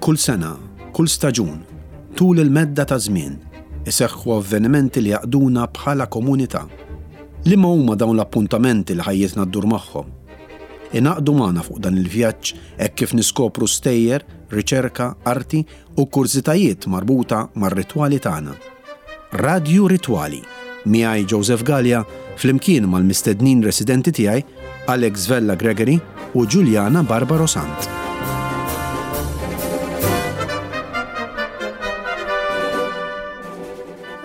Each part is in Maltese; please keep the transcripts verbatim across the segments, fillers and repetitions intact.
Kull sena, kull staġun, tul il-medda ta' żmien, iseħħu avvenimenti li jgħaqqduna bħala komunità. Liema huma dawn l-appuntamenti li ħajjitna ddur magħhom? Ingħaqdu magħna fuq dan il-vjaġġ hekk kif niskopru stejjer, riċerka, arti u kurżitajiet marbuta mar-ritwali tagħna. Radju Ritwali, miegħi Joseph Gallia flimkien mal-mistednin residenti tiegħi Alex Vella Gregory u Giuliana Barbaro Sant.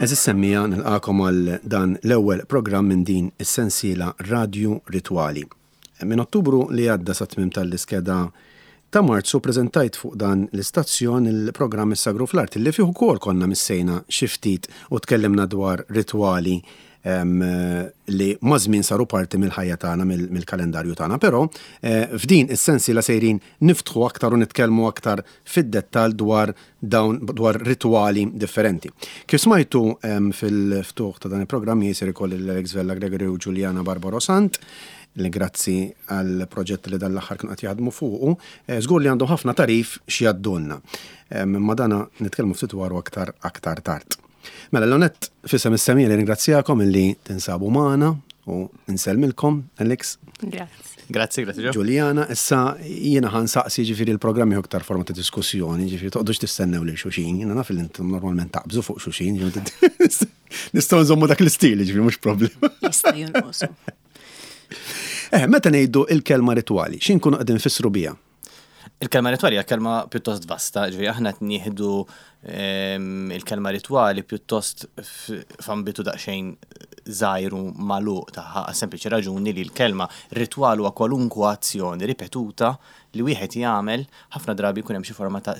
Għeżież semmiegħa, nilqagħkom għal dan l-ewwel programm minn din is-sensiela Radju Ritwali. Minn Ottubru li għadda sa tmiem tal-iskeda ta' Marzu preżentajt fuq dan l-istazzjon il-programm Is-Sagru fl-Art li fih ukoll konna missejna xi ftit u tkellimna dwar ritwali li maż-żmien saru parti mill-ħajja tagħna, mill-kalendarju tagħna. Però eh, f'din is-sensiela sejrin niftħu aktar u nitkellmu aktar fid-dettall dwar dawn dwar ritwali differenti. Kif smajtu fil-ftuħ ta' dan il-programm jisir ikolli l-Alex Vella Gregory u Giuliana Barbaro Sant li grazzi għal proġett li dan l-aħħar kienu qed jaħdmu fuqu, eh, żgur li għandhom ħafna tagħrif x'jgħaddulna. Imma dana nitkellmu ftit dwaru aktar aktar tard. Mela l-onet f'isem is-semmiegħa li ringrazzjakom illi tinsabu magħna u nsellmilkom, Alex. Grazzi. Grazzi, grazzi ġo. Giuliana, issa jiena ħa nsaqsi, ġifieri l-programmi aktar forma ta' diskussjoni, ġifieri toqgħodux tistennew lil xulxin, jiena naf li intom normalment taqbżu fuq xulxin, ġifieri nistgħu nżommu dak l-istil, ġifieri mhux problema. Jista' jonqosu. Eh, meta ngħidu il-kelma ritwali, x'inkunu qegħdin nfissru biha? Il-kelma ritwali hija kelma pjuttost vasta, ġifieri aħna qed nieħdu ehm, il-kelma ritwali pjuttost f'ambitu daqsxejn żgħir u magħluq tagħha, għas-sempliċi raġuni li l-kelma ritwal huwa kwalunkwe azzjoni ripetuta li wieħed jagħmel, ħafna drabi jkun hemm xi forma ta'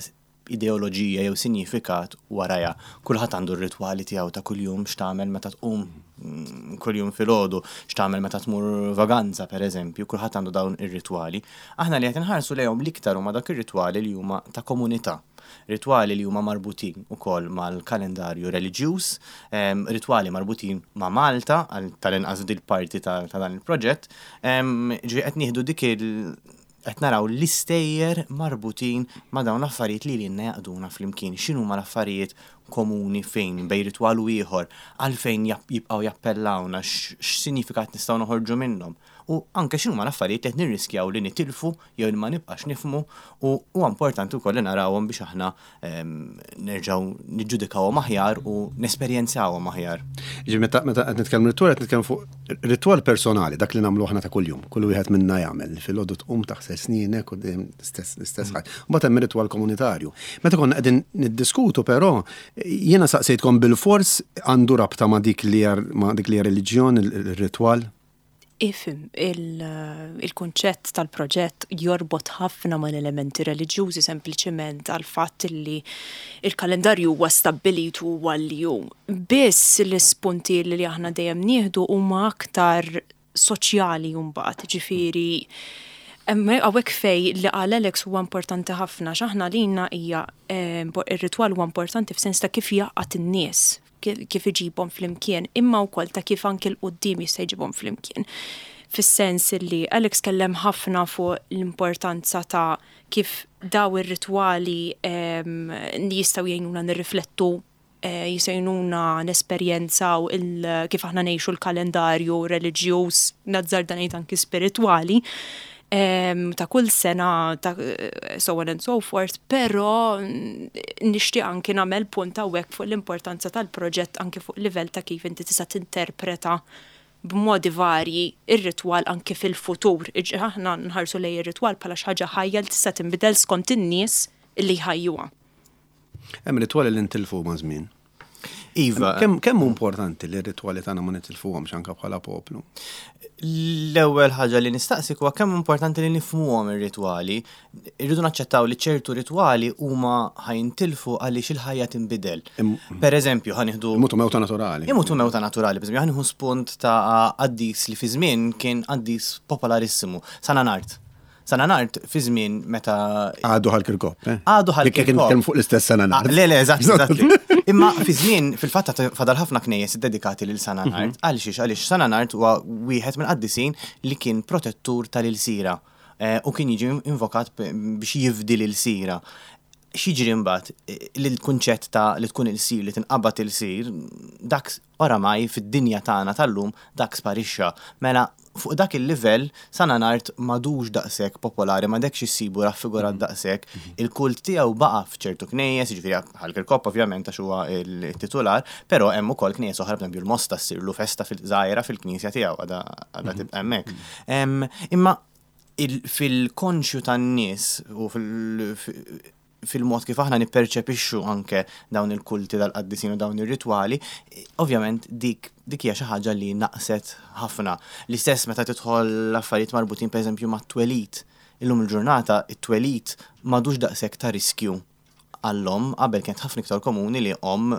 ideoloġija jew sinifikat warajha. Kulħadd għandu r-ritwali tiegħu ta' kuljum, x'tagħmel meta tqum mm, kuljum filgħodu, x'tagħmel meta tmur vaganza pereżempju, kulħadd għandu dawn ir-ritwali. Aħna li qed inħarsu lejhom l-iktar huma dak ir-ritwali li huma ta' komunità. Ritwali li huma marbutin ukoll mal-kalendarju reliġjuż, em, ritwali marbutin ma' Malta, għal tal-inqas dil-parti ta' ta' dan il-proġett, em, ġifieri qed nieħdu dik il- qed naraw l-istejjer marbutin ma' dawn l-affarijiet li lilna jgħaqqduna flimkien. X'inhu ma l-affarijiet komuni fejn bejn ritwal u ieħor, għalfejn jab- jibqgħu jappellawna, x'sinifikat nistgħu noħorġu minnhom. U anke x'inhuma l-affarijiet li qed nirriskjaw li nitilfu jew li ma nibqax nifhmu u huwa importanti wkoll li narawhom biex aħna em, nerġgħu niġġudikawhom aħjar u nesperjenzawhom aħjar. Ġi meta meta qed nitkellmu ritwal, qed nitkellmu fuq ritwal personali, dak li nagħmlu aħna ta' kuljum. Kull wieħed minna jagħmel filgħodu tqum taħsel snienek u dejjem l-istess l-istess ħaġa. Mbagħad hemm ritwal komunitarju. Meta konna qegħdin niddiskutu però, jiena saqsejtkom bil-fors għandu rabta ma' dik li hija ma' dik li hija reliġjon il-ritwal. Ifhem, il-kunċett tal-proġett jorbot ħafna ma' elementi reliġjużi sempliċement għal fatt li il-kalendarju huwa stabbilit u huwa li hu. Biss l-ispunti li aħna dejjem nieħdu huma aktar soċjali mbagħad, ġifieri hawnhekk fej li qal Alex huwa importanti ħafna, x'aħna lina hija eh, ir-ritwal huwa importanti f'sens ta' kif jgħaqqad in-nies, kif iġibhom flimkien, imma wkoll ta' kif anki 'l quddiem jista' jġibhom flimkien. Fis-sens li Alex kellem ħafna fuq l-importanza ta' kif daw ir-ritwali jistgħu jgħinuna nirriflettu, eh, jistgħu jgħinuna nesperjenzaw kif aħna ngħixu l-kalendarju reliġjuż, nazzarda ngħid anki spiritwali, ta' kull sena, ta' so on and so forth, però nixtieq anki nagħmel punt hawnhekk fuq l-importanza tal-proġett anki fuq livell ta' kif inti tista' tinterpreta b'modi varji ir-ritwal anki fil-futur. Aħna nħarsu lejn ir-ritwal bħala xi ħaġa ħajja li tista' tinbidel skont in-nies li jħajjuha. Hemm ritwali li ntilfu ma' żmien. Iva. Kemm kemm hu importanti li r-ritwali tagħna ma nitilfuhomx anke bħala poplu? L-ewwel ħaġa li nistaqsik huwa kemm importanti li nifhmuhom ir-ritwali. Irridu naċċettaw li ċertu ritwali huma ħa jintilfu għaliex il-ħajja tinbidel. Per eżempju, ħa nieħdu Imutu mewta naturali. Imutu mewta naturali, per eżempju, ħa nieħu spunt ta' qaddis li fi żmien kien qaddis popolarissimu, San Anard. San Anard fi żmien meta Għadu Ħal Kirkop, eh? Għadu Ħal Jekk Kirkop. nitkellmu fuq l-istess San Anard. Ah, le, le, eżatt, eżatt. Imma fi żmien fil-fatt fadal ħafna knejjes dedikati lil San Anard. Għaliex għaliex San Anard huwa wieħed mill-qaddisin li kien protettur tal-ilsira eh, u kien jiġi invokat biex jifdi l-ilsira. X'jiġri mbagħad li l-kunċett ta' li tkun ilsir, li tinqabad ilsir, dak oramai fid-dinja tagħna tal-lum dak sparixxa. Mela fuq dak il-livell San Anard m'għadux daqshekk popolari, m'għadekx issibu raffigurat daqshekk. Il-kult tiegħu baqa' f'ċertu knejjes, jiġifieri Ħal Kirkop ovvjament għax huwa il-titular, però hemm ukoll knejjes oħra, pereżempju l-Mosta ssirlu festa fil-żgħira fil-knisja tiegħu għadha għadha tibqa' hemmhekk. Em, Imma il- fil-konxju tan-nies u fil- fil-mod kif aħna nipperċepixxu anke dawn il-kulti dal-qaddisin u dawn ir-ritwali, ovvjament dik dik hija xi ħaġa li naqset ħafna. L-istess meta tidħol l-affarijiet marbutin, pereżempju, mat-twelid. Illum il-ġurnata it-twelid m'għadux daqshekk ta' riskju għall-omm. Qabel kienet ħafna iktar komuni li omm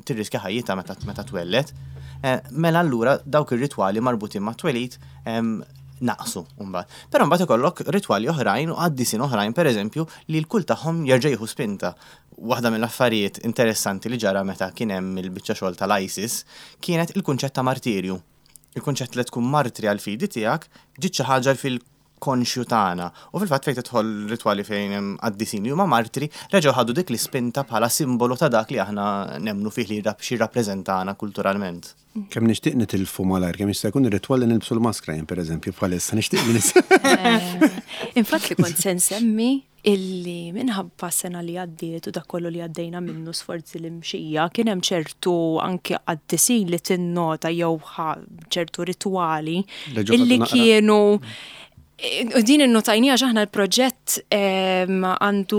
tirriskja ħajjitha meta meta twellet. Eh, Mela allura dawk ir-ritwali marbutin mat-twelid em, naqsu mbagħad. Però mbagħad ikollok ritwali oħrajn u qaddisin oħrajn, pereżempju, li l-kult tagħhom jerġa' jieħu spinta. Waħda mill-affarijiet interessanti li ġara meta kien hemm il-biċċa xogħol tal-ISIS kienet il-kunċett ta' martirju. Il-kunċett li tkun martri għal fidi tiegħek ġiet xi ħaġa fil-konxju tagħna. U fil-fatt fejn tidħol ritwali fejn hemm qaddisin li huma martri, reġgħu ħadu dik l-ispinta bħala simbolu ta' dak li aħna nemmnu fih li xi jirrappreżentana kulturalment. Kemm nixtieq nitilfu malajr, kemm jista' jkun ir-ritwal li nilbsu l-maskra jien, pereżempju, bħalissa nixtieq li nis. Infatti li kont se nsemmi illi minħabba sena li għaddiet u dak kollu li għaddejna minnu, sforzi li mxija, kien hemm ċertu anke qaddisin li tinnota jew ħa- ċertu ritwali Reġgħu illi ħadu naqra. kienu. U din innotajnija għax aħna l-proġett em, għandu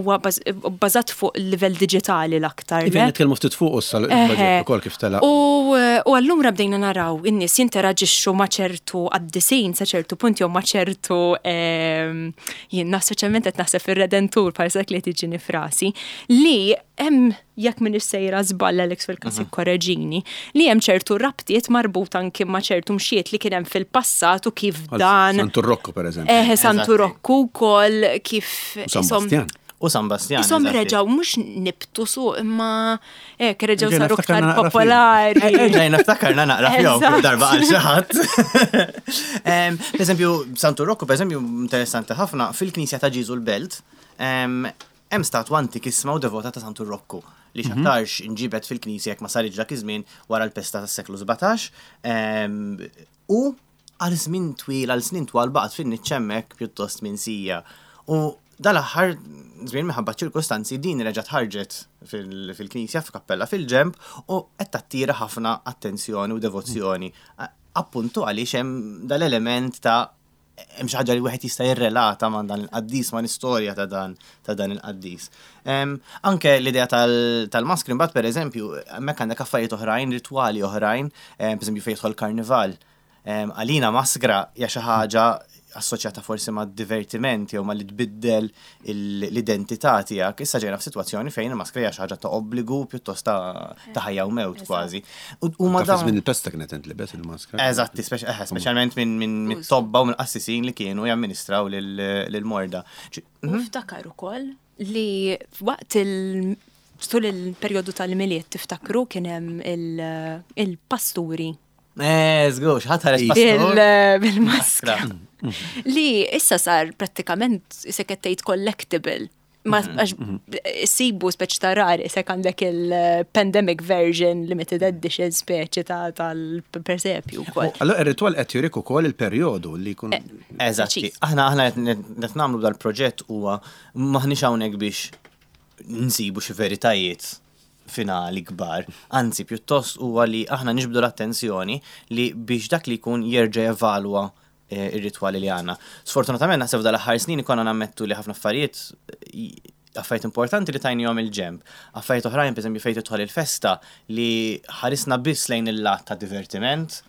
huwa baż- bbażat fuq il-livell diġitali l-aktar. Iva, le? nitkellmu ftit fuq issa l-proġett ukoll kif tela. U, u allura bdejna naraw in-nies jinteraġixxu ma' ċertu qaddisin sa ċertu punt jew ma' ċertu em, jien speċjalment qed naħseb fir-Redentur bħal li tiġini f'rasi li hemm, jekk minn sejra żball, Alex, fil-każ korreġini, li hemm ċertu rabtiet marbut anki ma' ċertu mxiet li kien hemm fil-passat u kif dan Santu Rocco, per eżempju. Eħe, Santu Eżatti. Rocco wkoll kif U San isom- Bastian. U San Bastian. Isom eżatti. reġaw mhux nibtu suq imma hekk reġaw Erġajna saru ftakarna iktar naqra fihom. popolari. Erġajna ftakarna naqra fihom Eżatt. kull darba għal xi ħadd. Em, Per eżempju, Santu Rocco, per eżempju, interessanti ħafna, fil-Knisja ta' Ġiżu l-Belt, em, hemm statwa antikissima u devota ta' Santu Rocco li x'aktarx inġibet fil-Knisja, jekk ma saritx dak iż-żmien, wara l-pesta tas-seklu sbatax em, u għal żmien twil, għal snin twal baqgħet fin-niċċa hemmhekk pjuttost minsija. U dal-aħħar żmien, minħabba ċirkostanzi, din reġgħet ħarġet fil- fil-knisja f'kappella fil-ġemb u qed tattira ħafna attenzjoni u devozzjoni. A- Appuntu għaliex hemm dal-element ta' hemm xi ħaġa li wieħed jista' jirrelata ma' dan il-qaddis, ma' l-istorja ta' dan ta' dan il-qaddis. Em, Anke l-idea tal- tal-maskri mbagħad, pereżempju, hemmhekk għandek affarijiet oħrajn, ritwali oħrajn, em, pereżempju fejn jidħol karnival. Em, Għalina maskra hija xi ħaġa assoċjata forsi ma' divertiment jew ma' li tbiddel il- l-identità tiegħek. Issa ġejna f'sitwazzjoni fejn il-maskra hija xi ħaġa ta' obbligu, pjuttost ta' ta' ħajja u mewt kważi. U u ma Ta' dawn żmien il-pesta kienet intlibes il-maskra. Eżatti, speċ- eh, speċjalment minn min, min tobba u minn qassisin li kienu jamministraw lil-morda. U ftakar ukoll li waqt il- tul il-perjodu tal-Milied, tiftakru kien hemm il- il-pasturi Eh, żgur, xi ħadd ħareġ pastur. bil- bil-maskra. Li issa sar prattikament se tgħid collectible. Ma għax sibu speċi ta' rari se għandek il-pandemic version limited edition speċi ta' tal-presepju wkoll. Allora ir-ritwal qed jurik ukoll il-perjodu li jkun Eżatti. Preċiż. Aħna aħna qed nagħmlu dal-proġett huwa maħniex hawnhekk biex nsibu xi veritajiet finali kbar. Anzi, pjuttost huwa li aħna niġbdu l-attenzjoni li biex dak li jkun jerġa' jevalwa eh, ir-ritwali li għandna. Sfortunatament naħseb dal-aħħar snin ikonna nammettu li ħafna affarijiet eh, affarijiet importanti li tajnihom il-ġemb. Affarijiet oħrajn, per eżempju, fejn tidħol il-festa, li ħarisna biss lejn il-lat ta' divertiment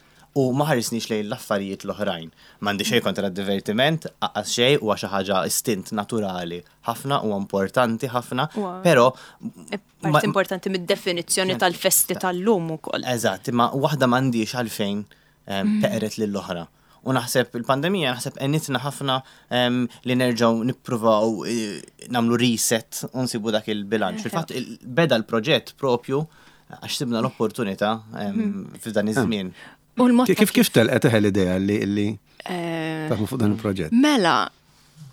u ma ħarisniex lejn l-affarijiet l-oħrajn. M'għandi xejn kontra d-divertiment, anqas xejn, huwa xi ħaġa istint naturali ħafna u importanti ħafna, Huwa- però Part importanti mid-definizzjoni tal-festi tal-lum ukoll. Eżatt, imma waħda m'għandix għalfejn em, teqret lill-oħra. U naħseb il-pandemija naħseb għenitna ħafna em, li nerġgħu nippruvaw eh, nagħmlu reset u nsibu dak il-bilanċ. Fil-fatt il- beda l-proġett propju għax sibna l-opportunità em, f'dan iż-żmien. U l-mod ta' Kif kif telqet eħe l-idea li li Eh, taħdmu fuq dan il-proġett? Mela,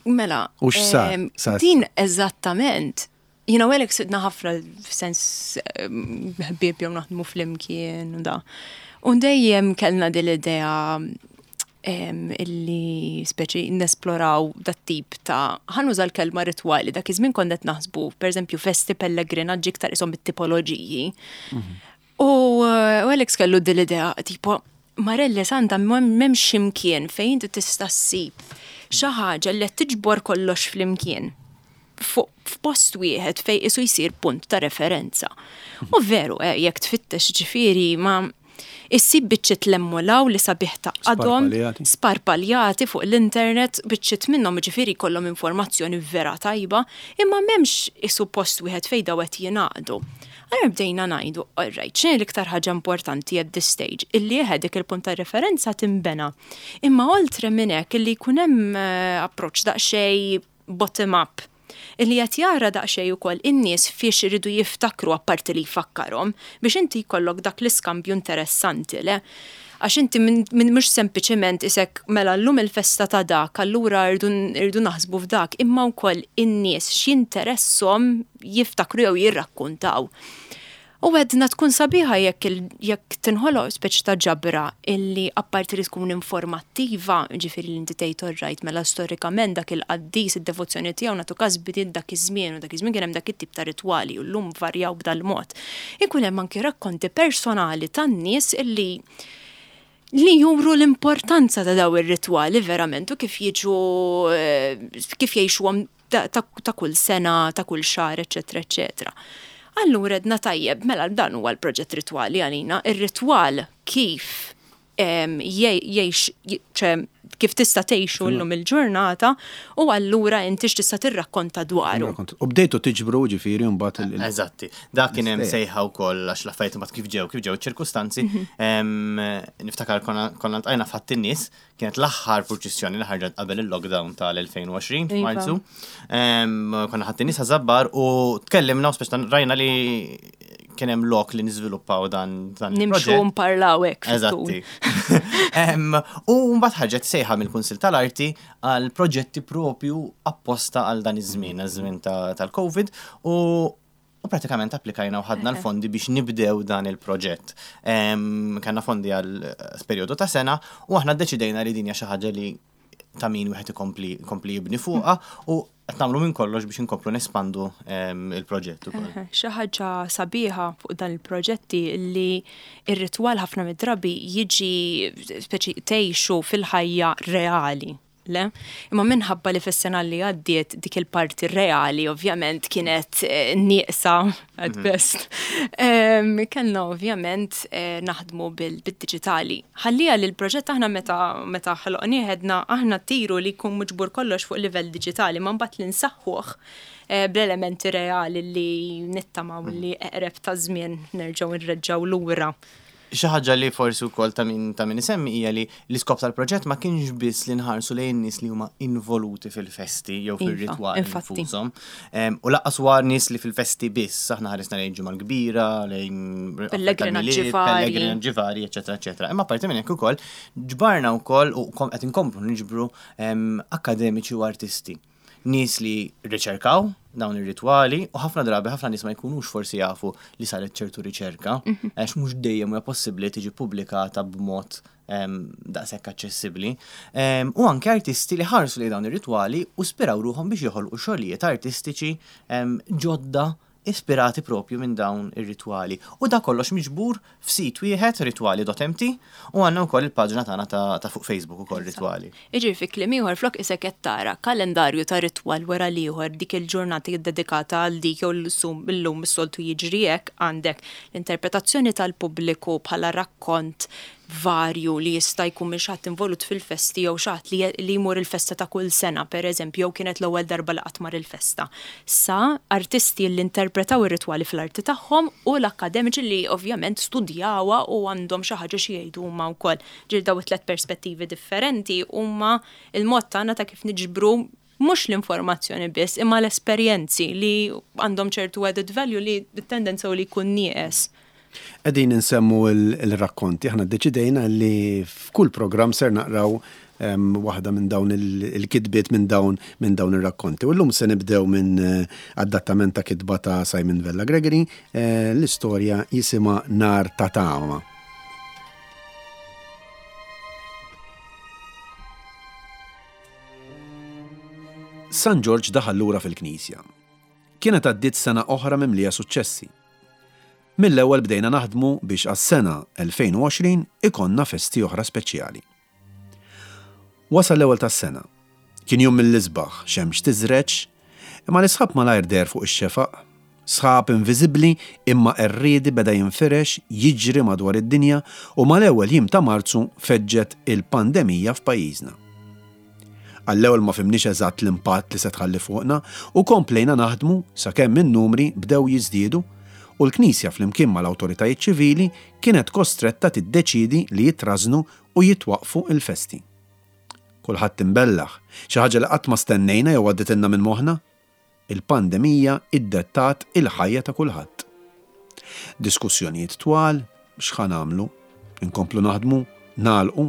Mela. U x'sar? Ehm, din eżattament. Jiena u Alex sidna ħafna f'sens ehm, ħbieb jew naħdmu flimkien u da. U dejjem kellna din l-idea ehm, illi speċi nesploraw dat tip ta' ħa nuża l-kelma ritwali, dak iż-żmien konna qed naħsbu, pereżempju, festi, pellegrinaġġi, iktar isom it-tipoloġiji. Mhm. U Alex kellu din l-idea, tipo, Marelle Santa, m'hemmx imkien fejn inti tista' ssib xi ħaġa li qed tiġbor kollox flimkien f'post wieħed fej isu jsir punt ta' referenza. U veru, eh, jekk tfittex, ġifieri, ma issib biċċiet lemmulaw li sabiħ ta' għadhom sparpaljati fuq l-internet, biċċiet minnhom ġifieri kollhom informazzjoni vera tajba, imma m'hemmx isu post wieħed fej daw qed jingħaqdu. Għara bdejna ngħidu, alright, x'inhi l-iktar ħaġa importanti at this stage? Illi eħe dik il-punt ta' referenza timbena. Imma oltre minn hekk illi jkun hemm eh, approach daqsxejn bottom up, illi qed jara daqsxejn ukoll in-nies fiex iridu jiftakru, apparti li jfakkarhom, biex inti jkollok dak l-iskambju interessanti, le? Għax inti minn mhux sempliċement isek mela llum il-festa ta' dak, allura irdu naħsbu f'dak, imma wkoll in-nies x'jinteresshom jiftakru jew jirrakkuntaw. U għedna tkun sabiħa jekk jekk tinħoloq speċi ta' ġabra illi apparti li tkun informattiva, ġifieri li inti tgħid, alright, mela storikament dak il-qaddis, id-devozzjoni tiegħu, nagħtu każ, bdiet dak iż-żmien u dak iż-żmien kien hemm dak it-tip ta' ritwali u llum varjaw b'dal-mod. Ikun hemm anki rakkonti personali tan-nies illi li juru l-importanza ta' daw ir-ritwali verament u kif jiġu eh, kif jgħixuhom ta' kull sena, ta' kull xahar, eċetera, eċetera. Allura għedna tajjeb, mela dan huwa l-proġett ritwali għalina, ir-ritwal kif jgħix, kif tista' tgħixu llum il-ġurnata u allura inti x'tista' tirrakkonta dwaru. U bdejtu tiġbru ġifieri mbagħad il- Eżatti. Dak kien hemm sejħa wkoll għax l-affarijiet mbagħad kif ġew, kif ġew ċirkustanzi. Mhm. Niftakar konna ltqajna f'Ħadd in-Nies, kienet l-aħħar purċissjoni li ħarġet qabel il-lockdown tal-elfejn u għoxrin f'Marzu. Konna Ħadd in-Nies Żabbar u tkellimna u speċi rajna li kien hemm lok li niżviluppaw dan dan Nimxu nparlaw hekk. Eżatti. U mbagħad ħarġet sejħa mill-Kunsil tal-Arti għal proġetti propju apposta għal dan iż-żmien, iż-żmien tal-Covid, u u pratikament applikajna u ħadna l-fondi biex nibdew dan il-proġett. Kellna fondi għal periodu ta' sena u aħna ddeċidejna li din hija xi ħaġa li ta' min wieħed ikompli ikompli jibni fuqha u qed nagħmlu minn kollox biex inkomplu nespandu il-proġett ukoll. Xi ħaġa sabiħa fuq dan il-proġetti li ir-ritwal ħafna mid-drabi jiġi speċi tgħixu fil-ħajja reali. Le? Imma minħabba li fis-sena li għaddiet dik il-parti reali ovvjament kienet eh, nieqsa at mhm. best. Kellna ovvjament eh, naħdmu bil-diġitali. Ħallija li l-proġett aħna meta meta ħloqnieh għedna aħna tiru li jkun miġbur kollox fuq livell diġitali, ma mbagħad li nsaħħuh eh, bl-elementi reali li nittamaw mhm. li eqreb ta' żmien nerġgħu nreġgħu lura. Xi ħaġa li forsi wkoll ta' min ta' min isemmi hija li l-iskop tal-proġett ma kienx biss li nħarsu lejn nies li huma involuti fil-festi jew Iva, fir-ritwali infatti. infushom. Em, U lanqas huwa nies li fil-festi biss, aħna ħarisna lejn Ġimgħa Kbira, lejn pellegrinaġġi vari. Pellegrinaġġi vari, eċetera, eċetera. Imma parti minn hekk ukoll ġbarna wkoll u kom- qed inkomplu niġbru em, akademiċi u artisti. Nies li riċerkaw dawn ir-ritwali u ħafna drabi ħafna nies ma jkunux forsi jafu li saret ċertu riċerka, għax mhux dejjem huwa possibbli tiġi pubblikata b'mod em, daqshekk aċċessibbli. Em, U anke artisti li ħarsu li dawn ir-ritwali u spiraw ruħhom biex joħolqu xogħlijiet artistiċi em, ġodda ispirati propju minn dawn ir-ritwali. U da kollox miġbur f'sit wieħed, ritwali punt M T, u għandna wkoll il-paġna tagħna ta', ta fuq Facebook ukoll, ritwali. Iġi fi kliem ieħor, flok isek qed tara kalendarju ta' ritwal wara l-ieħor, dik il-ġurnata dedikata għal dik jew l-sum illum is-soltu jiġri hekk, għandek l-interpretazzjoni tal-pubbliku bħala rakkont varju li jista' jkun minn xi ħadd involut fil-festi jew xi ħadd li, li jmur il-festa ta' kull sena, pereżempju, jew kienet l-ewwel darba li qatt mar il-festa. Sa artisti li interpretaw ir-ritwali fl-arti tagħhom u l-akademiċi li ovvjament studjawha u għandhom xi ħaġa xi jgħidu huma wkoll. Ġir daw it-tlet perspettivi differenti huma il-mod tagħna ta' kif niġbru mhux l-informazzjoni biss, imma l-esperjenzi li għandhom ċertu added value li t-tendenza u li jkun nieqes. Qegħdin insemmu il-rakkonti, aħna ddeċidejna li f'kull program ser naqraw waħda minn dawn il-kitbiet minn dawn minn dawn ir-rakkonti. U llum se nibdew minn adattament ta' kitba ta' Simon Vella Gregory, l-istorja jisimha Nar ta' Tama. San Ġorġ daħal lura fil-Knisja. Kienet għaddiet sena oħra mimlija suċċessi. Mill-ewwel bdejna naħdmu biex għas-sena elfejn u għoxrin ikonna festi oħra speċjali. Wasal l-ewwel tas-sena. Kien jum mill-isbaħ, xemx tiżreġ, imma l-isħab malajr deher fuq ix-xefaq. Sħab inviżibbli imma qerriedi beda jinfirex, jiġri madwar id-dinja u mal-ewwel jiem ta' Marzu feġġet il-pandemija f'pajjiżna. Għall-ewwel ma fimniex eżatt l-impatt li se tħalli fuqna u komplejna naħdmu sakemm in-numri bdew jiżdiedu u l-Knisja flimkien mal-awtoritajiet ċivili kienet kostretta tiddeċidi li jitrażnu u jitwaqfu il-festi. Kulħadd imbellaħ, xi ħaġa li qatt ma stennejna jew għadditilna minn moħħna. Il-pandemija iddettat il-ħajja ta' kulħadd. Diskussjonijiet twal, x'ħa nagħmlu? Inkomplu naħdmu, nagħlqu.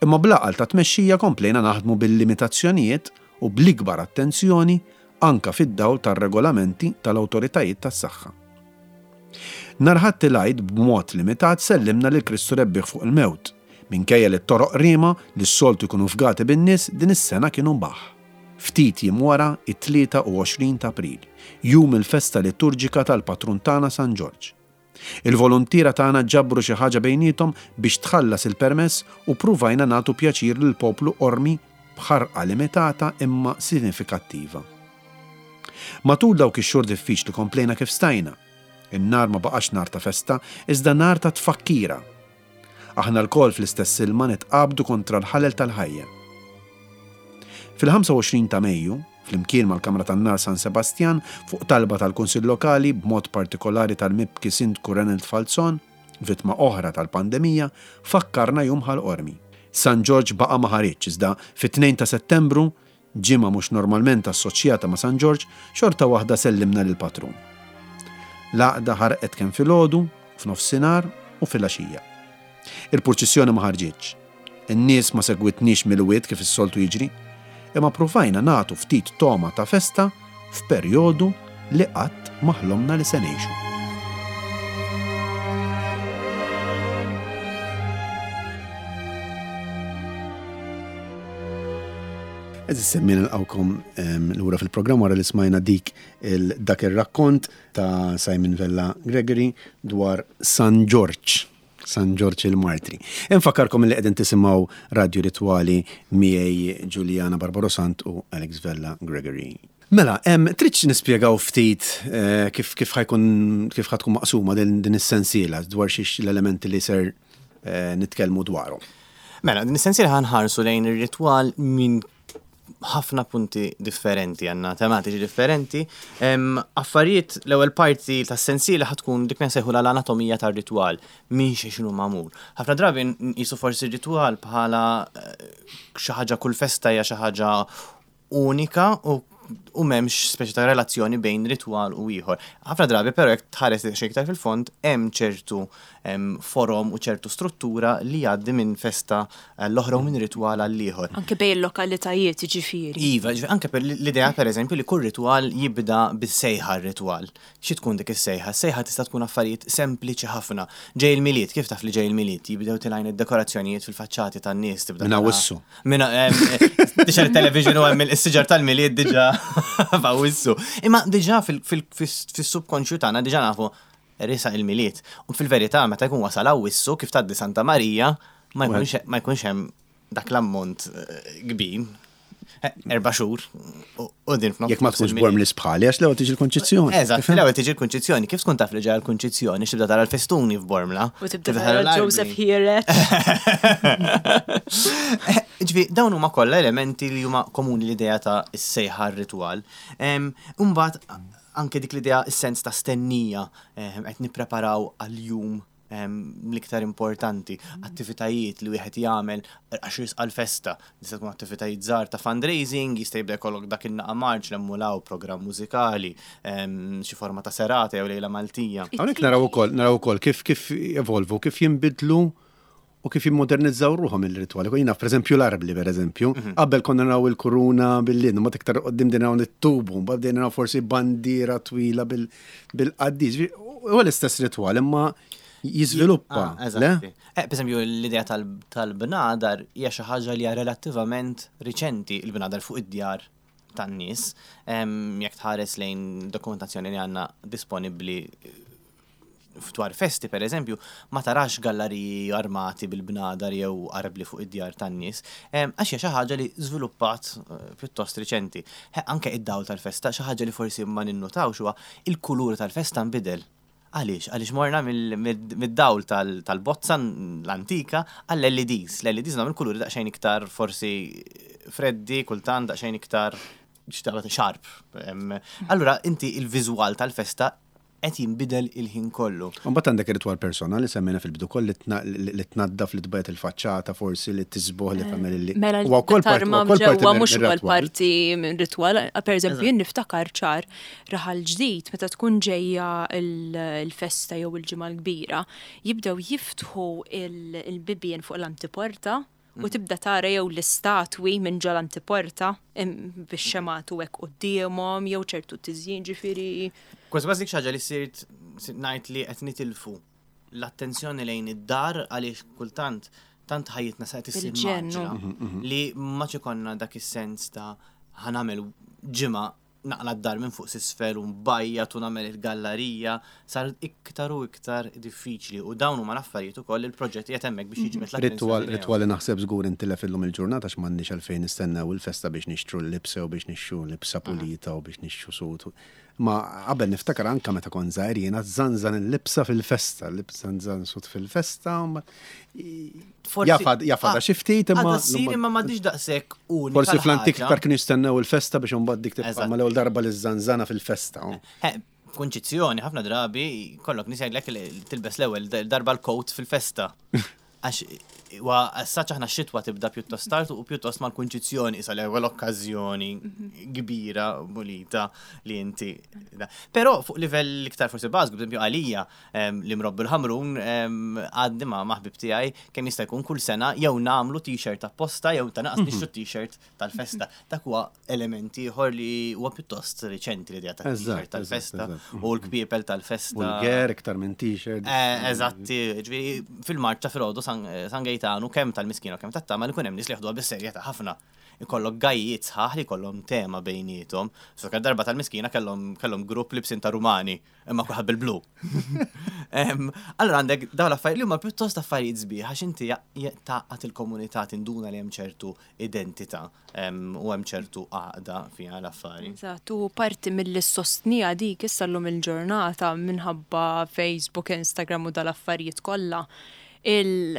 Imma bl-għaqal ta' tmexxija komplejna naħdmu bil-limitazzjonijiet u bl-ikbar attenzjoni anka fid-dawl tar-regolamenti tal-awtoritajiet tas-saħħa. Nhar Ħadd il-Għid b'mod limitat sellimna lil Kristu rebbieħ fuq il-mewt. Minkejja li t-toroq rima li s-soltu jkunu fgati bin-nies din is-sena kienu mbaħ. Ftit jiem wara it-tlieta u għoxrin ta' April, jum il-festa liturġika tal-patrun tagħna San Ġorġ. Il-volontiera tagħna ġabru xi ħaġa bejniethom biex tħallas il-permess u pruvajna nagħtu pjaċir lill-poplu Qormi b'ħarqa limitata imma sinifikattiva. Matul dawk ix-xhur diffiċli komplejna kif stajna. In-nar ma baqax nar ta' festa, iżda nar ta' tfakkira. Aħna lkoll fl-istess ilma nitqabdu kontra l-ħalel tal-ħajja. Fil-ħamsa u għoxrin ta' Mejju, flimkien mal-Kamra tan-Nar San Sebastian, fuq talba tal-Kunsill Lokali, b'mod partikolari tal-mibki Sindku Renald Falzon, vittma oħra tal-pandemija, fakkarna jum Ħal Qormi. San Ġorġ baqa' ma ħareġ, iżda fit-tnejn ta' Settembru, ġimgħa mhux normalment assoċjata ma' San Ġorġ, xorta waħda sellimna lill-patrun. L-għaqda ħarqet kemm filgħodu, f'nofsinhar u filgħaxija. Il-purċissjoni ma ħarġitx. In-nies ma segwitniex mill-wied kif is-soltu jiġri, imma provajna nagħtu ftit toma ta' festa f'perjodu li qatt ma ħlomna li se ngħixu. Eżis semmin nilqawkom, ehm, lura fil-programm wara li smajna dik il-, dak ir-rakkont ta' Simon Vella Gregory dwar San Ġorġ. San Ġorġ il-Martri. Infakkarkom li qegħdin tisimgħu Radio Ritwali miegħi Juliana Barbaro Sant u Alex Vella Gregory. Mela, em, tridx nispjegaw ftit, eh, kif, kif ħajkun, kif ħatkun maqsuma din, din is-sensiela dwar xiex l-elementi li ser, eh, nitkellmu dwarhom. Mela, din is-sensiela ħanħarsu lejn ir-ritwal minn ħafna punti differenti, għandna tematiċi differenti. Em, affarijiet, l-ewwel parti tas-sensiela ħatkun dik nsejħu l-anatomija tar-ritwal, minn xi x'inhu magħmul. Ħafna drabi nqisu forsi r-ritwal bħala, eh, xi ħaġa kull festa hija xi ħaġa unika u, u m'hemmx speċi ta' relazzjoni bejn ritwal u ieħor. Ħafna drabi però jekk tħares xi iktar fil-fond hemm ċertu, em, forom u ċertu struttura li jgħaddi minn festa l-oħra u minn ritwal għal ieħor. Anke bejn il-lokalitajiet jiġifieri. Iva, ġifieri, anke per l-idea pereżempju li kull ritwal jibda bis-sejħa r-ritwal. Xi tkun dik is-sejħa? Is-sejħa tista' tkun affarijiet sempliċi ħafna. Ġej il-Milied, kif taf li ġej il-Milied? Jibdew tilgħin id-dekorazzjonijiet fil-faċċati tan-nies tibda Minn tara. Awwissu. Minn, em, tixgħel it-television u hemm is-siġar tal-Milied diġà f'Awwissu. Imma diġà fil-, fil-, fis-subkonxju tagħna diġà nafu risa il-Milied. U fil-verità meta jkun wasal Awwissu kif tgħaddi Santa Marija ma jkunx, ma jkunx hemm dak l-ammont, eh, kbir. Eh, erba' xhur u, u din f'nofs Jekk ma tkunx il-Milied. borm li sbħali, għax l-ewwel tiġi l-Kunċizzjoni. Eżatt, Tifhem? l-ewwel tiġi l-Kunċizzjoni. Kif tkun taf li ġejja l-Kunċizzjoni, x'tibda tara l-festuni f'Bormla? U tibda Tibda tara tara l-arbli. Joseph Hieret. Ġifieri, dawn huma kollha elementi li huma komuni l-idea ta' s-sejħa r-ritwal. Em, Imbagħad anke dik l-idea s-sens ta' stennija, em, qed nippreparaw għal-jum, em, l-iktar importanti, attivitajiet li wieħed jagħmel għax jisqa' l-festa. Tista' tkun attivitajiet żgħar ta' fundraising, jista' jibda jkollok dak in-naqa marċ l-emmulaw programm mużikali, em, xi forma ta' serata jew lejla Maltija. Hawnhekk naraw ukoll, naraw ukoll kif, kif evolvu, kif jinbidlu U kif jimmodernizzaw ruħhom il-ritwali. Jiena, per eżempju, l-arbli, per eżempju, qabel konna naraw il-kuruna bil-lin, ma iktar qoddim din naraw it-tubu, mbagħad bdejna naraw forsi bandiera twila bil-qaddis. Huwa l-istess ritwal, imma jiżviluppa. Ah, eżatti. Eh, per eżempju, l-idea tal-bnadar hija xi ħaġa li hija relattivament riċenti, il-bnadar fuq id-djar tan-nies. Jekk tħares lejn dokumentazzjoni li għandna disponibbli dwar festi, per eżempju, ma tarax galleriji armati bil-bnadar jew arbli fuq id-djar tan-nies, għax hija xi ħaġa li żviluppat eh, pjuttost riċenti. Anke id-dawl tal-festa, xi ħaġa li forsi ma ninnotawx huwa il-kulur tal-festa nbidel. Għaliex? Għaliex morna mid-dawl tal-bozza l-antika għall-L E Ds. L-L E Ds nagħmel kuluri daqsxejn iktar forsi freddi, kultant daqsxejn iktar sharp. Allura inti il-viżwal tal-festa qed jinbidel il-ħin kollu. Mbagħad għandek ir-ritwal personali semmejna fil-bidu koll li tnaddaf, li tbajjad il-faċċata, forsi li tiżbogħ, li tagħmel li. Mela tarma ġewwa mhux ukoll parti minn ritwal. Per eżempju, jien niftakar ċar Raħal Ġdid meta tkun ġejja il-festa jew il-Ġimgħa l-Kbira, jibdew jiftħu il-bibien fuq l-antiporta u tibda tara jew l-istatwi minn ġol antiporta bix-xemgħat u hekk quddiemhom jew ċertu tiżjin, ġifieri. Kważi kważi dik ħaġa li sirt ngħid li qed nitilfu l-attenzjoni lejn id-dar għaliex kultant tant ħajjitna sa issir Bil-ġennu. mgħaġġla li ma ikollna dak is-sens ta' ħa nagħmel ġimgħa naqla d-dar minn fuq s'isfel u nbajjad u nagħmel il-gallerija, sar iktar u iktar diffiċli u dawn huma l-affarijiet ukoll il-proġett qiegħed hemmhekk biex jiġbed Ritwal, l-attenzjoni lejhom. Ritwal li naħseb żgur intilef illum il-ġurnata għax m'għandniex għalfejn nistennew il-festa biex nixtru l-libsa u biex nixtru libsa pulita u biex nixtru sut. Ma qabel niftakar anka meta kont żgħir jiena żanżan il-libsa fil-festa, libsa żanżan sut fil-festa. ma- Forsi- Jafad, jafada Ah, xi ftit imma. Għadha ssir imma m'għadix daqshekk unika Forsi fl-antik l-ħaġa. iktar kienu jistennew il-festa biex imbagħad dik tibqa' Eżatt. ma l-ewwel darba li żanżana fil-festa. oh. Eh, Kunċizzjoni, ħafna drabi, kollok nies jgħidlek li tilbes l-ewwel darba l-coat fil-festa. Għax wa as-saċ aħna x-xitwa tibda pjuttost tard u pjuttost mal-kunċizzjoni isa l-ewwel okkażjoni kbira pulita li inti. Però fuq livell iktar forsi bażiku, per eżempju għalija em, li mrobbi l-Ħamrun em, għaddi ma' ħbieb tiegħi kemm jista' jkun kull sena jew nagħmlu t-shirt apposta jew ta' naqas nixtru t-shirt tal-festa. Dak huwa element ieħor li huwa pjuttost riċenti, l-idea ta' Eżatt, t-shirt tal-festa eżatt, eżatt. u l-kpiepel tal-festa. Vulger iktar minn t-shirt. Eh, Eżatti, ġifieri fil-marċa filgħodu San San Gejtanu kemm tal-Miskina u kemm tat-Tama li kun hemm nies li jaħduha bis-serjetà ħafna. Ikollok gajjiet sħaħ li kollhom tema bejniethom. So darba tal-Miskina kellhom kellhom grupp libsin ta' Rumani, imma kulħadd bil-blu. Em, Allora għandek dawn l-affarijiet li huma pjuttost affarijiet sbieħ għax inti ja- ja- tgħaqqad il-komunità, tinduna li hemm ċertu identità em, u hemm ċertu għaqda fiha l-affari. Eżatt, u parti mill-sostnija dik issa llum il-ġurnata minħabba Facebook, Instagram u dal-affarijiet kollha. Il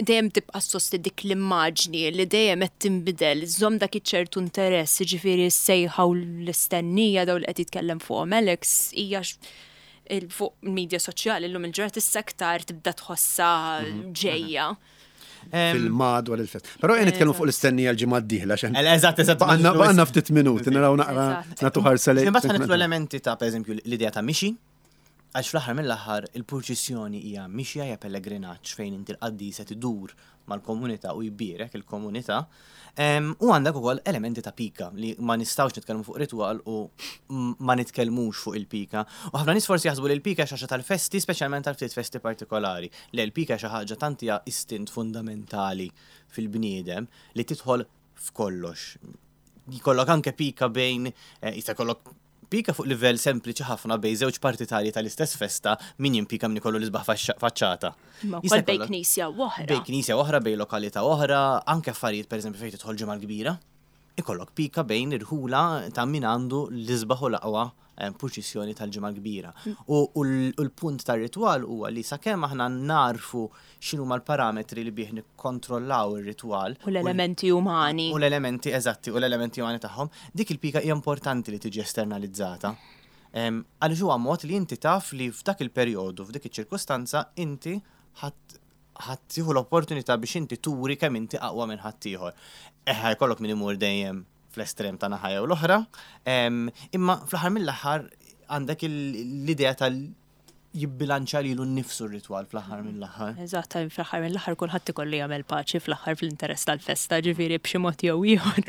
dejjem tibqa' sosti dik l-immaġni li dejjem qed tinbidel, żomm dak iċ-ċertu interess, jiġifieri s-sejħa u l-istennija daw li qed jitkellem fuqhom Alex hija x- il- fuq il-medja soċjali llum il-ġurnata issa aktar tibda tħossha ġejja. Fil-madwar il-fest. Però jien nitkellmu fuq l-istennija l-ġimgħa d-dieħla x'hemm. Eżatt, eżatt. Baqgħna baqgħna ftit minuti naraw naqra Eżatt. nagħtu ħarsa lejn. Imbagħad ħa nidħlu elementi ta', per eżempju, l-idea ta' mixi, għax fl-aħħar mill-aħħar il-purċissjoni hija mixja, hija pellegrinaġġ fejn inti l-qaddis qed idur mal-komunità u jbierek il-komunità. Em, U għandek ukoll elementi ta' pika li ma nistgħux nitkellmu fuq ritwal u m- ma nitkellmux fuq il-pika. U ħafna nies forsi jaħsbu li l-pika xi ħaġa tal-festi, speċjalment tal-ftit festi partikolari. Le, l-pika xi ħaġa tant hija istint fundamentali fil-bniedem li tidħol f'kollox. Jkollok anke pika bejn, eh, jista' jkollok pika fuq livell sempliċi ħafna bejn żewġ partitarji tal-istess festa, min jimpika min ikollu l-isbaħ faċċa- faċċata. Ma Jista' wkoll bejn jkollok- knisja u oħra. Bejn knisja oħra, bejn lokalità oħra, anke affarijiet, per eżempju, fejn tidħol Ġimgħa l-Kbira. Ikollok pika bejn irħula ta' min għandu l-isbaħ u l-aqwa eh, purċissjoni tal-Ġimgħa l-Kbira. U u l- u l-punt tar-ritwal huwa li sakemm aħna narfu x'inhuma l-parametri li bih nikkontrollaw ir-ritwal U l-elementi umani. u l-elementi eżatti u l-elementi umani tagħhom, dik il-pika hija importanti li tiġi esternalizzata. Em, Għaliex huwa mod li inti taf li f'dak il-perjodu, f'dik iċ-ċirkustanza, inti ħadd ħadd tieħu l-opportunità biex inti turi kemm inti aqwa minn ħaddieħor. Eħe, jkollok min imur dejjem fl-estrem ta' naħa jew l-oħra, em, imma fl-aħħar mill-aħħar għandek il- l-idea tal Jibbilanċa lilu nnifsu r-ritwal fl-aħħar mill-aħħar. Eżatt, fl-aħħar mill-aħħar kulħadd ikollu jagħmel paċi fl-aħħar fl-interess tal-festa, ġifieri b'xi mod jew ieħor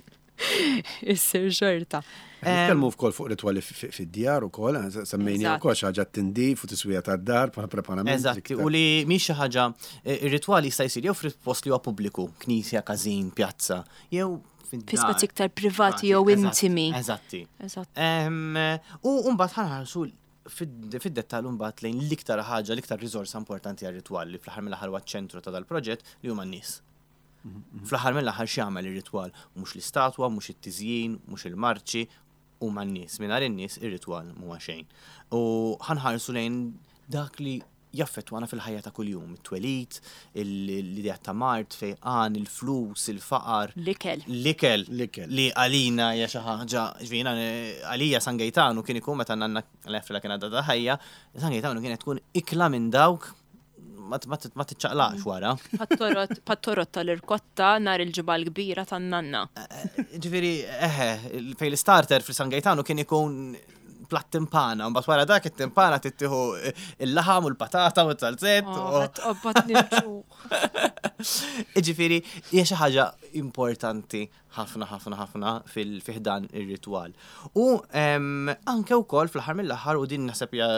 issir xorta. Nitkellmu wkoll fuq ritwali fid-djar ukoll, semmejni wkoll xi ħaġa tindif u tiswija tad-dar bħala preparament. Eżatt, u li mhix xi ħaġa, ir-ritwali jista' jsir jew f'post li huwa pubbliku, knisja, każin, pjazza, jew fi spazji iktar privati jew intimi. Eżatti. U mbagħad ħa nħarsu fid-dettall mbagħad lejn l-iktar ħaġa, l-iktar riżorsa importanti għar-ritwal li fl-aħħar mill-aħħar huwa ċ-ċentru ta' dal-proġett, li huma n-nies. Fl-aħħar mill-aħħar x'jagħmel ir-ritwal? Mhux l-istatwa, mhux it-tiżjin, mhux il-marċi, huma n-nies. Mingħajr in-nies ir-ritwal mhuwa xejn. U ħa nħarsu lejn dak li jaffettwana fil-ħajja ta' kuljum, it-twelid, l-idea ta' mard, fejqan, il-flus, il-faqar. L-ikel. L-ikel. Li għalina hija xi ħaġa, ġvina, għalija San Gejtanu kien ikun meta nanna l-efla kien għadha ħajja, San Gejtanu kienet tkun ikla minn dawk ma tiċċaqlaqx wara. Pat-torot tal-irkotta nhar il-ġimgħa l-kbira tan-nanna. Ġifieri, eħe, fejn l-starter fil-San Gejtanu kien ikun platt timpana, mbagħad wara dak it-timpana tittieħu il-laħam u l-patata u t-salzett. Ġifieri, hija xi ħaġa importanti ħafna ħafna ħafna fil-ħdan ir-ritwal. U anke wkoll fl-aħħar mill-aħħar, u din naħseb hija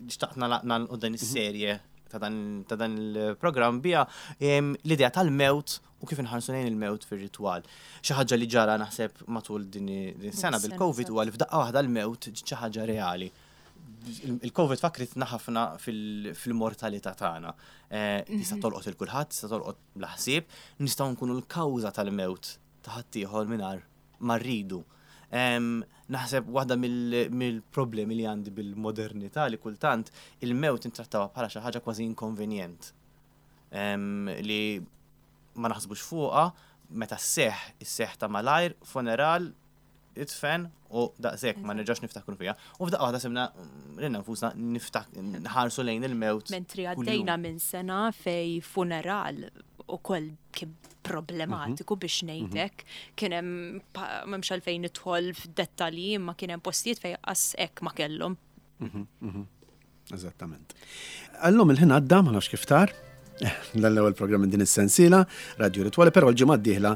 xtaqt nagħlqu dan is-serje ta' dan il-programm bija, l-idea tal-mewt u kif inħarsu lejn il-mewt fir-ritwal. Xi ħaġa li ġara naħseb matul din is-sena bil-Covid huwa li f'daqqa waħda l-mewt xi ħaġa reali. Il-Covid fakritna ħafna fil-mortalità tagħna. Tista' tolqot il kulħadd, tista' tolqot bla ħsieb, nistgħu nkunu l-kawża tal-mewt ta' ħaddieħor mingħajr ma rridu. Naħseb waħda mill-problemi li għandi bil-modernità li kultant il-mewt intrattawha bħala xi ħaġa kważi inkonvenjent. Li ma naħsbux fuqha, meta sseħħ, isseħħ ta' malajr, funeral, idfen u daqshekk ma nerġax niftakru fiha. U f'daqqa waħda sibna lilna nfusna niftak nħarsu lejn il-mewt. Mentri għaddejna minn sena fej funeral ukoll kien problematiku biex ngħidlek, kien hemm, m'hemmx għalfejn nidħol f'dettalji, imma kien hemm postijiet fejn qas hekk ma kellhom. Eżattament. Għallum il-ħin għadda, ma nafx kif tar, l-ewwel programm minn din is-sensiela Radio Ritwali, però l-ġimgħa d-dieħla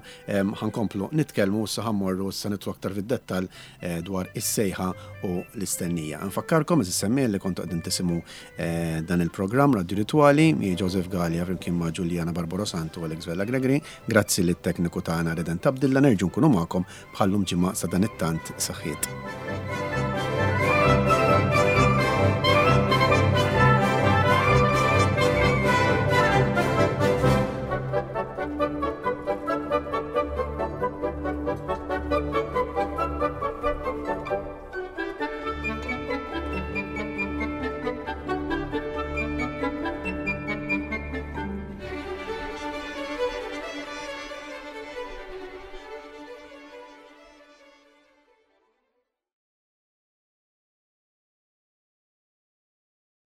ħa nkomplu nitkellmu, issa ħa mmorru issa nidħlu aktar fid-dettall dwar is-sejħa u l-istennija. Nfakkarkom eżis semmi li kontu qegħdin tisimgħu dan il-programm Radio Ritwali, mi Joseph Gallia flimkien ma' Giuliana Barbaro Santu u Alex Vella Gregory. Grazzi lit-tekniku tagħna Reden Tabdilla, nerġgħu nkunu magħkom bħallum ġimgħa sa dan it-tant saħħiet.